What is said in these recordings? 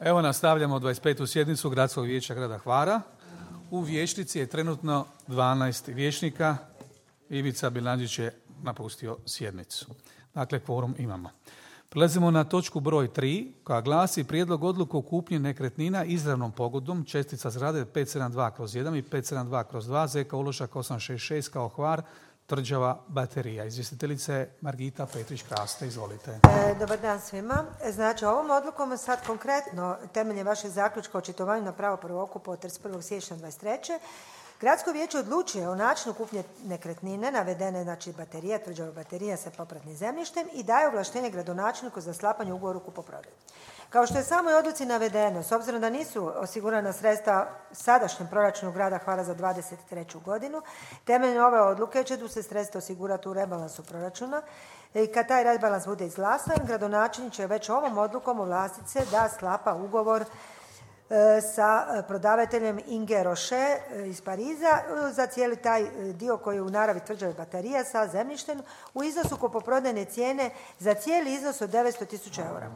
Evo nastavljamo 25. sjednicu Gradskog vijeća grada Hvara. U vijećnici je trenutno 12 vijećnika. Ivica Bilandžić je napustio sjednicu. Dakle, kvorum imamo. Prelazimo na točku broj 3, koja glasi prijedlog odluke o kupnji nekretnina izravnom pogodbom čestica zgrade 572/1 i 572/2 ZK uložak 866 kao Hvar, Tvrđava, Baterija. Izvjestiteljica je Margita Petrić-Kraste. Izvolite. Dobar dan svima. Znači, ovom odlukom sad konkretno, temeljem vašeg zaključka o očitovanju na pravo prvokupa od 31. siječnja 2023. Gradsko vijeće odlučuje o načinu kupnje nekretnine, navedene znači Baterija, Tvrđava, Baterija sa popratnim zemljištem i daje ovlaštenje gradonačelniku za sklapanje ugovora o kupoprodaji. Kao što je samoj odluci navedeno, s obzirom da nisu osigurana sredstva sadašnjem proračunu grada Hvara za 2023. godinu, temeljem ove odluke će se sredstva osigurati u rebalansu proračuna i kad taj rebalans bude izglasan, gradonačelnik će već ovom odlukom ovlastiti se da sklapa ugovor sa prodavateljem Inge Roche iz Pariza za cijeli taj dio koji je u naravi Tvrđave Baterija sa zemljištem u iznosu kupoprodajne cijene za cijeli iznos od 900.000 eura.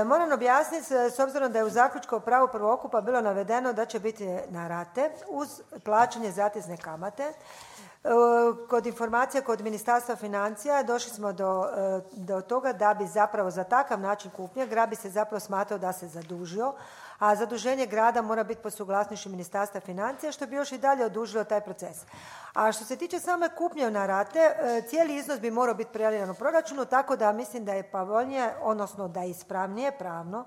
Moram objasniti, s obzirom da je u zaključku o pravu prvokupa bilo navedeno da će biti na rate uz plaćanje zatezne kamate. Kod informacija kod Ministarstva financija došli smo do toga da bi zapravo za takav način kupnje grad bi se zapravo smatrao da se zadužio, a zaduženje grada mora biti po suglasnošću Ministarstva financija, što bi još i dalje odužilo taj proces. A što se tiče same kupnje na rate, cijeli iznos bi morao biti prijavljen u proračunu, tako da mislim da je povoljnije, odnosno da je ispravnije pravno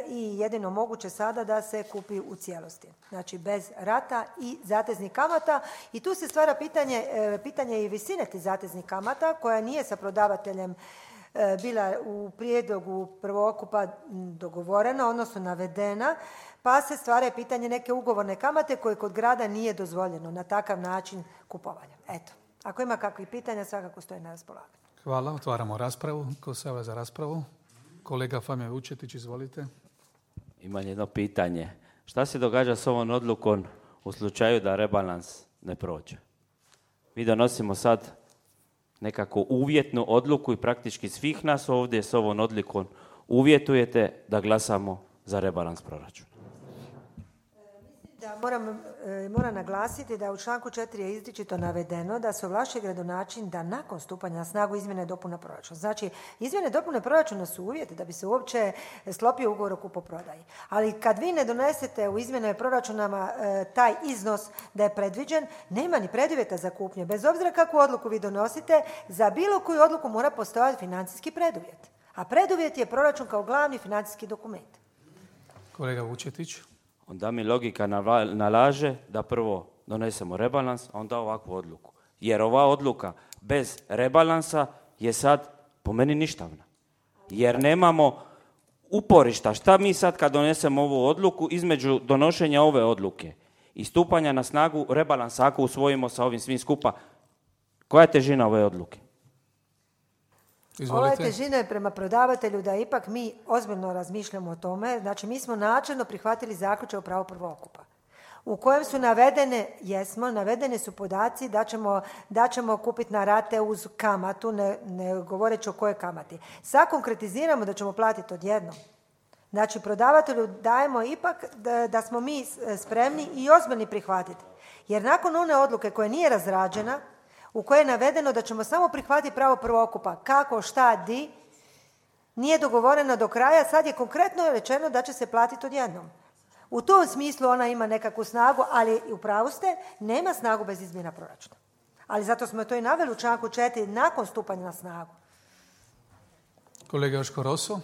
i jedino moguće sada da se kupi u cijelosti. Znači bez rata i zateznih kamata. I tu se stvara pitanje i visine tih zateznih kamata koja nije sa prodavateljem bila u prijedlogu prvokupa dogovorena, odnosno navedena, pa se stvara pitanje neke ugovorne kamate koje kod grada nije dozvoljeno na takav način kupovanja. Eto, ako ima kakvih pitanja, svakako stoji na raspolaganju. Hvala, otvaramo raspravu. Ko se javlja za raspravu? Kolega Famija Vučetić, izvolite. Imam jedno pitanje. Šta se događa s ovom odlukom u slučaju da rebalans ne prođe? Mi donosimo sad nekako uvjetnu odluku i praktički svih nas ovdje s ovom odlukom uvjetujete da glasamo za rebalans proračuna. Da, moram naglasiti da u članku 4 je izričito navedeno da se ovlašćuje gradonačelnik da nakon stupanja na snagu izmjene i dopune proračuna. Znači, izmjene i dopune proračuna su uvjeti da bi se uopće sklopio ugovor o kupoprodaji. Ali kad vi ne donesete u izmjenama proračunama taj iznos da je predviđen, nema ni preduvjeta za kupnju. Bez obzira kakvu odluku vi donosite, za bilo koju odluku mora postojati financijski preduvjet. A preduvjet je proračun kao glavni financijski dokument. Kolega Vučetić. Onda mi logika nalaže da prvo donesemo rebalans, a onda ovakvu odluku. Jer ova odluka bez rebalansa je sad po meni ništavna. Jer nemamo uporišta. Šta mi sad kad donesemo ovu odluku između donošenja ove odluke i stupanja na snagu rebalansa, ako usvojimo sa ovim svim skupa, koja je težina ove odluke? Izvolite. Ova težina je prema prodavatelju da ipak mi ozbiljno razmišljamo o tome. Znači, mi smo načelno prihvatili zaključak o pravu prvokupa u kojem su navedeni su podaci da ćemo kupiti na rate uz kamatu, ne govoreći o kojoj kamati. Sad konkretiziramo da ćemo platiti odjednom. Znači, prodavatelju dajemo ipak da smo mi spremni i ozbiljni prihvatiti. Jer nakon one odluke koja nije razrađena, u kojoj je navedeno da ćemo samo prihvatiti pravo prvokupa, kako, šta, di, nije dogovoreno do kraja, sad je konkretno rečeno da će se platiti odjednom. U tom smislu ona ima nekakvu snagu, ali u pravu ste, nema snagu bez izmjena proračuna. Ali zato smo to i naveli u članku 4 nakon stupanja na snagu. Kolega Joško Roso.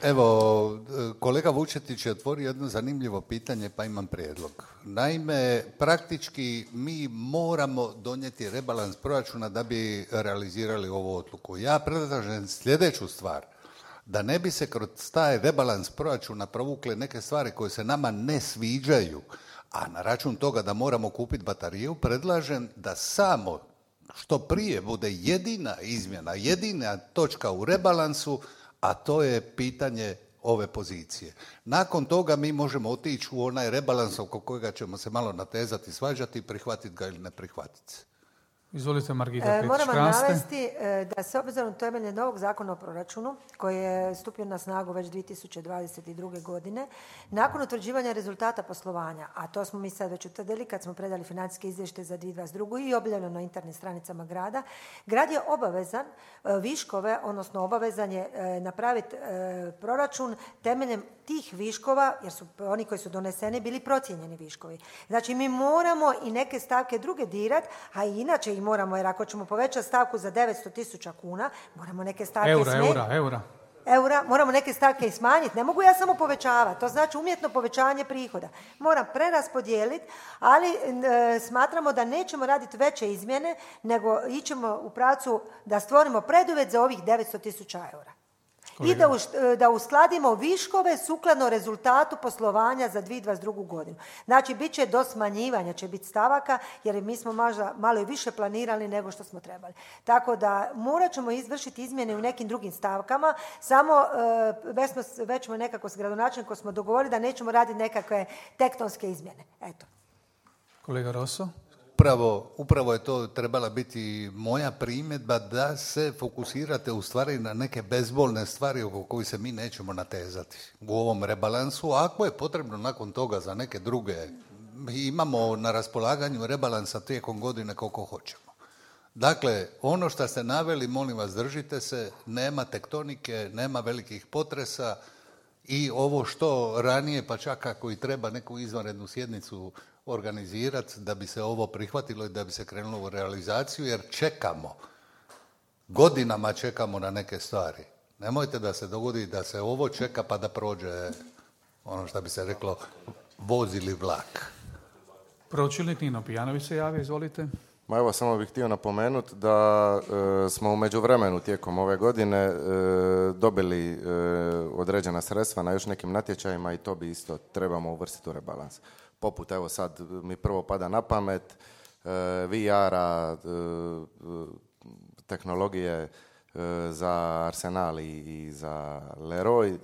Evo, kolega Vučetić je otvorio jedno zanimljivo pitanje, pa imam prijedlog. Naime, praktički mi moramo donijeti rebalans proračuna da bi realizirali ovu odluku. Ja predlažem sljedeću stvar, da ne bi se kroz taj rebalans proračuna provukle neke stvari koje se nama ne sviđaju, a na račun toga da moramo kupiti bateriju, predlažem da samo što prije bude jedina izmjena, jedina točka u rebalansu, a to je pitanje ove pozicije. Nakon toga mi možemo otići u onaj rebalans oko kojega ćemo se malo natezati, svađati, prihvatiti ga ili ne prihvatiti. Izvolite, Margita Moram vam Petić-Kraste. navesti da se obzirom temeljem novog zakona o proračunu, koji je stupio na snagu već 2022. godine, nakon utvrđivanja rezultata poslovanja, a to smo mi sad već utvrdili kad smo predali financijske izvještaje za 2022. i objavljeno na internet stranicama grada, grad je obavezan viškove, odnosno obavezan je napraviti proračun temeljem tih viškova, jer su oni koji su doneseni bili procijenjeni viškovi. Znači mi moramo i neke stavke druge dirat, a i inače i moramo, jer ako ćemo povećati stavku za 900.000 kuna, moramo neke stavke eura, moramo neke stavke i smanjiti. Ne mogu ja samo povećavati, to znači umjetno povećanje prihoda. Moram preraspodijeliti, ali smatramo da nećemo raditi veće izmjene, nego ićemo u pravcu da stvorimo preduvjet za ovih 900.000 eura. I da uskladimo viškove sukladno rezultatu poslovanja za 2022. godinu. Znači, bit će do smanjivanja, će biti stavaka, jer mi smo možda malo i više planirali nego što smo trebali. Tako da morat ćemo izvršiti izmjene u nekim drugim stavkama, samo već smo nekako s gradonačelnikom smo dogovorili da nećemo raditi nekakve tektonske izmjene. Eto. Kolega Rosso? Upravo je to trebala biti moja primjedba, da se fokusirate u stvari na neke bezbolne stvari oko kojih se mi nećemo natezati u ovom rebalansu. Ako je potrebno nakon toga za neke druge, imamo na raspolaganju rebalansa tijekom godine koliko hoćemo. Dakle, ono što ste naveli, molim vas, držite se, nema tektonike, nema velikih potresa i ovo što ranije, pa čak ako i treba neku izvanrednu sjednicu organizirati da bi se ovo prihvatilo i da bi se krenulo u realizaciju, jer godinama čekamo na neke stvari. Nemojte da se dogodi da se ovo čeka pa da prođe, ono što bi se reklo, voz ili vlak. Pročelnik Nino Pijanović se javio, izvolite. Ma evo, samo bih htio napomenuti da smo u međuvremenu tijekom ove godine dobili određena sredstva na još nekim natječajima i to bi isto trebamo uvrstiti u rebalans. Poput, evo sad mi prvo pada na pamet, VR-a, tehnologije za Arsenal i za Leroy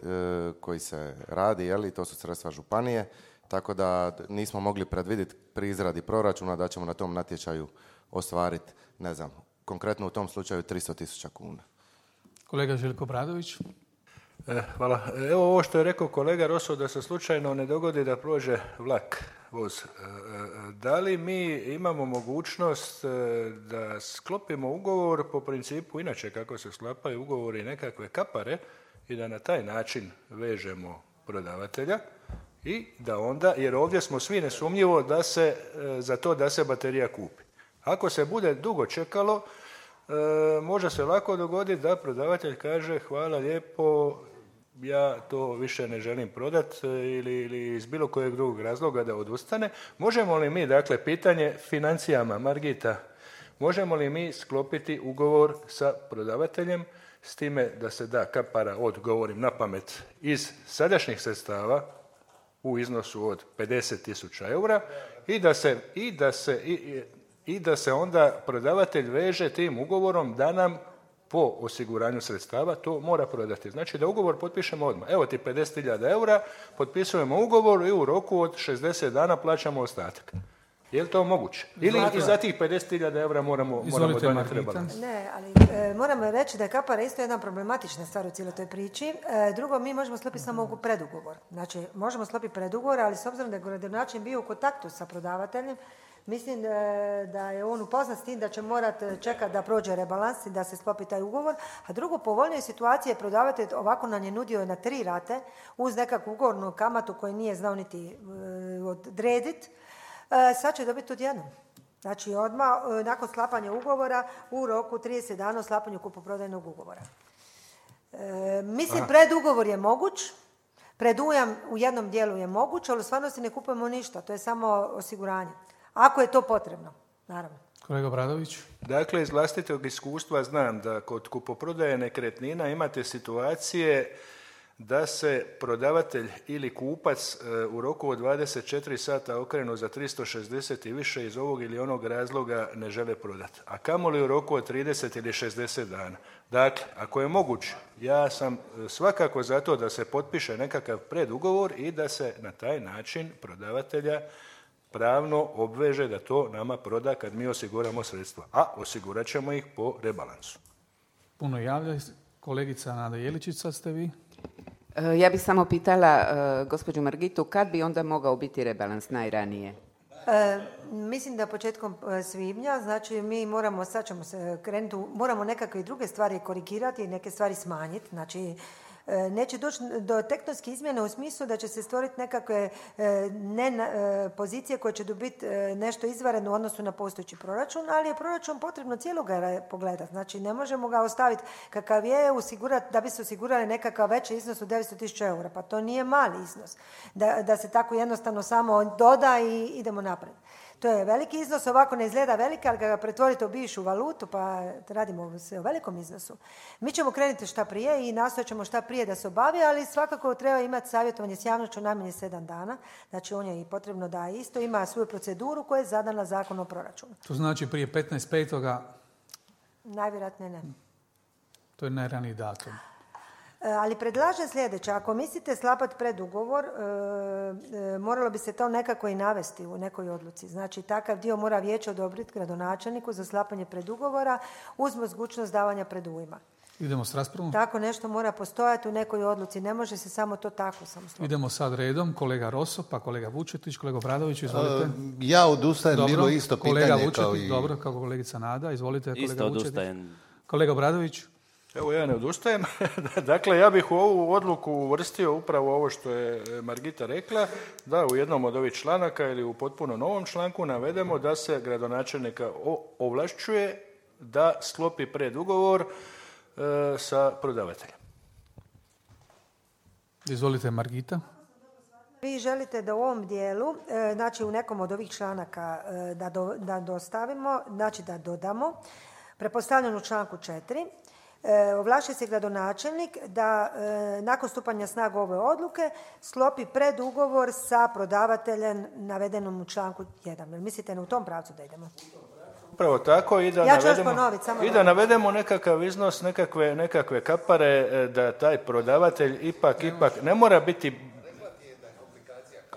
koji se radi, jeli, to su sredstva županije, tako da nismo mogli predvidjeti pri izradi proračuna da ćemo na tom natječaju ostvariti, ne znam, konkretno u tom slučaju 300.000 kuna. Kolega Željko Bradović. Hvala. Evo ovo što je rekao kolega Rosso, da se slučajno ne dogodi da prođe vlak, voz. Da li mi imamo mogućnost da sklopimo ugovor po principu inače kako se sklapaju ugovori nekakve kapare i da na taj način vežemo prodavatelja i da onda, jer ovdje smo svi nesumnjivo da se, za to da se baterija kupi. Ako se bude dugo čekalo, može se lako dogoditi da prodavatelj kaže hvala lijepo, ja to više ne želim prodati ili iz bilo kojeg drugog razloga da odustane. Možemo li mi, dakle, pitanje financijama, Margita, možemo li mi sklopiti ugovor sa prodavateljem s time da se da kapara od, govorim na pamet, iz sadašnjih sredstava u iznosu od 50.000 eura i da se onda prodavatelj veže tim ugovorom da nam po osiguranju sredstava to mora prodati. Znači da ugovor potpišemo odmah. Evo ti 50.000 eura, potpisujemo ugovor i u roku od 60 dana plaćamo ostatak. Je li to moguće? Ili i za tih 50.000 eura moramo donijeti rebalans? Ne, ali moramo reći da je kapara isto jedna problematična stvar u cijeloj toj priči. Drugo, mi možemo sklopiti samo predugovor. Znači, možemo sklopiti predugovor, ali s obzirom da je gradonačelnik bio u kontaktu sa prodavateljem, mislim da je on upoznat s tim da će morati čekati da prođe rebalans i da se sklopi taj ugovor. A drugo, povoljnije situacije prodavatelj ovako nam je nudio na 3 rate uz nekakvu ugovornu kamatu koju nije znao niti odrediti. Sad će dobiti odjednom. Znači odmah nakon sklapanja ugovora u roku 30 dana o sklapanju kupoprodajnog ugovora. Mislim, predugovor je moguć, predujam u jednom dijelu je moguć, ali u stvarnosti ne kupujemo ništa, to je samo osiguranje. Ako je to potrebno, naravno. Kolega Bradović. Dakle, iz vlastitog iskustva znam da kod kupoprodaje nekretnina imate situacije da se prodavatelj ili kupac u roku od 24 sata okrenu za 360 i više iz ovog ili onog razloga ne žele prodati. A kamoli u roku od 30 ili 60 dana. Dakle, ako je moguće, ja sam svakako za to da se potpiše nekakav predugovor i da se na taj način prodavatelja pravno obveže da to nama proda kad mi osiguramo sredstva. A osigurat ćemo ih po rebalansu. Puno javlja. Kolegica Nada Jeličić, sad ste vi. Ja bih samo pitala gospođu Margitu, kad bi onda mogao biti rebalans najranije? Mislim da početkom svibnja, znači mi moramo, sad ćemo se krenuti, moramo nekakve druge stvari korigirati i neke stvari smanjiti, znači neće doći do tektonske izmjene u smislu da će se stvoriti nekakve pozicije koje će dobiti nešto izvanredno u odnosu na postojeći proračun, ali je proračun potrebno cijeloga pogledati. Znači ne možemo ga ostaviti kakav je, osigurati da bi se osigurali nekakav veći iznos od 900.000 eura. Pa to nije mali iznos. Da se tako jednostavno samo doda i idemo naprijed. To je veliki iznos, ovako ne izgleda velika, ali ga pretvorite u bivšu valutu, pa radimo se o velikom iznosu. Mi ćemo krenuti šta prije i nastojat ćemo šta prije da se obavi, ali svakako treba imati savjetovanje s javnošću najmanje 7 dana. Znači on je i potrebno da isto ima svoju proceduru koja je zadana Zakon o proračunu. To znači prije 15.5. Najvjerojatnije ne. To je najraniji datum. Ali predlažem sljedeće, ako mislite sklapati predugovor, moralo bi se to nekako i navesti u nekoj odluci. Znači, takav dio mora vijeće odobriti gradonačelniku za sklapanje predugovora uz mogućnost davanja predujma. Idemo s raspravom. Tako nešto mora postojati u nekoj odluci, ne može se samo to tako sloboditi. Idemo sad redom, kolega Roso, pa kolega Vučetić, kolega Obradović, izvolite. Ja odustajem, dobro, bilo isto pitanje kolega Vučetić, kao i... Dobro, kao kolegica Nada, izvolite kolega Isto Vučetić. odustajem. Kolega Obradović. Evo ja ne odustajem. Dakle, ja bih u ovu odluku uvrstio upravo ovo što je Margita rekla, da u jednom od ovih članaka ili u potpuno novom članku navedemo da se gradonačelnika ovlašćuje da sklopi predugovor sa prodavateljem. Izvolite Margita. Vi želite da u ovom dijelu, znači u nekom od ovih članaka da dostavimo, znači da dodamo, pretpostavljeno u članku 4, ovlašćuje se gradonačelnik da nakon stupanja snagu ove odluke sklopi predugovor sa prodavateljem navedenom u članku 1. Mislite u tom pravcu da idemo? Upravo tako i da navedemo nekakav iznos, nekakve kapare, da taj prodavatelj ipak ne mora biti...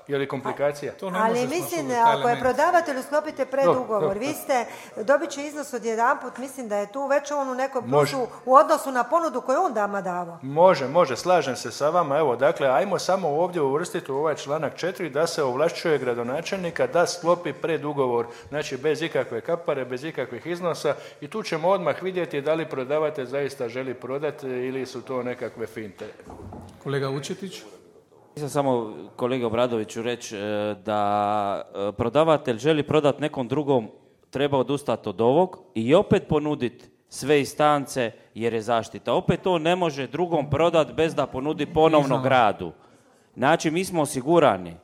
Je li komplikacija? Ali mislim, ako je prodavatelju sklopite predugovor, vi ste, dobit će iznos od jedanput, mislim da je tu već on u nekom plusu u odnosu na ponudu koju on dama davo. Može, slažem se sa vama. Evo, dakle, ajmo samo ovdje uvrstiti u ovaj članak 4 da se ovlašćuje gradonačelnika da sklopi predugovor, znači bez ikakve kapare, bez ikakvih iznosa i tu ćemo odmah vidjeti da li prodavatelj zaista želi prodati ili su to nekakve finte. Kolega Vučetić. Nisam samo kolegi Obradoviću reći da prodavatelj želi prodati nekom drugom, treba odustati od ovog i opet ponuditi sve instance jer je zaštita. Opet to ne može drugom prodati bez da ponudi ponovno gradu. Znači mi smo osigurani.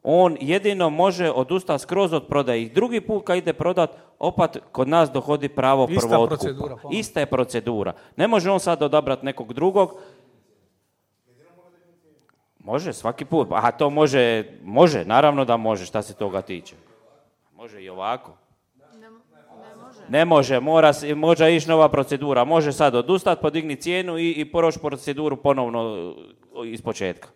On jedino može odustati skroz od prodaje. I drugi put kad ide prodat, opet kod nas dohodi pravo prvootkupa. Ista je procedura. Ne može on sad odabrati nekog drugog. Može, svaki put. A to može, naravno da može, šta se toga tiče. Može i ovako. Ne može, mora ići nova procedura. Može sad odustati, podigni cijenu i proći proceduru ponovno iz početka.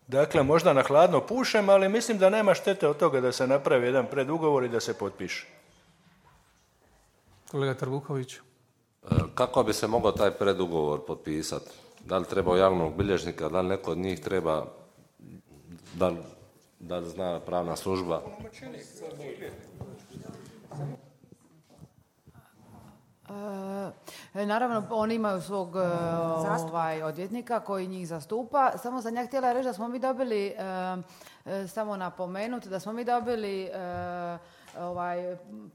Dakle, možda na hladno pušem, ali mislim da nema štete od toga da se napravi jedan predugovor i da se potpiše. Kolega Trbuković. Kako bi se mogao taj predugovor potpisati? Da li treba javnog bilježnika, da li neko od njih treba, da li zna pravna služba? Naravno, oni imaju svog odvjetnika koji njih zastupa. Samo sam ja htjela reći da smo mi dobili, samo napomenuti, da smo mi dobili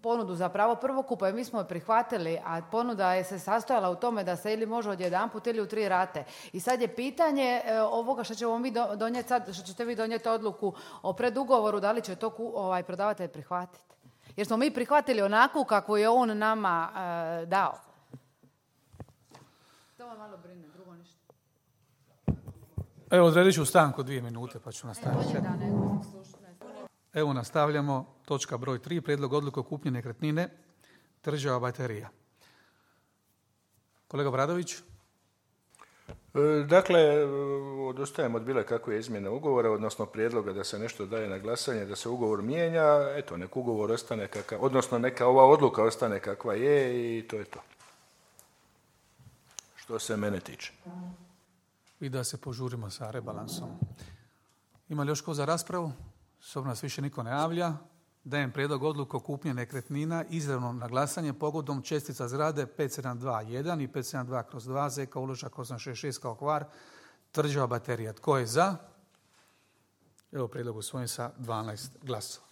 ponudu za pravo prvokupa i mi smo je prihvatili, a ponuda je se sastojala u tome da se ili može odjedanput ili u 3 rate. I sad je pitanje ovoga što ćemo mi donijeti sad, što ćete vi donijeti odluku o predugovoru, da li će to prodavatelj prihvatiti. Jer smo mi prihvatili onako kako je on nama dao. To me malo brine, drugo ništa. Evo, odredit ću stanku 2 minute pa ću nastaviti. Evo nastavljamo, točka broj 3, prijedlog odluke o kupnji nekretnine, Tvrđava baterija. Kolega Bradović. Dakle, odustajem od bilo kakve izmjene ugovora, odnosno prijedloga da se nešto daje na glasanje, da se ugovor mijenja, eto, nek ugovor ostane kakav, odnosno neka ova odluka ostane kakva je i to je to. Što se mene tiče. I da se požurimo sa rebalansom. Ima li još ko za raspravu? S obzirom nas više niko ne javlja. Dajem prijedlog odluke o kupnji nekretnina izravno na glasanje pogodom čestica zgrade 5721 i 572/2 ZK uložak 866 kao Hvar, Tvrđava baterija. Tko je za? Evo prijedlog usvojen sa 12 glasova.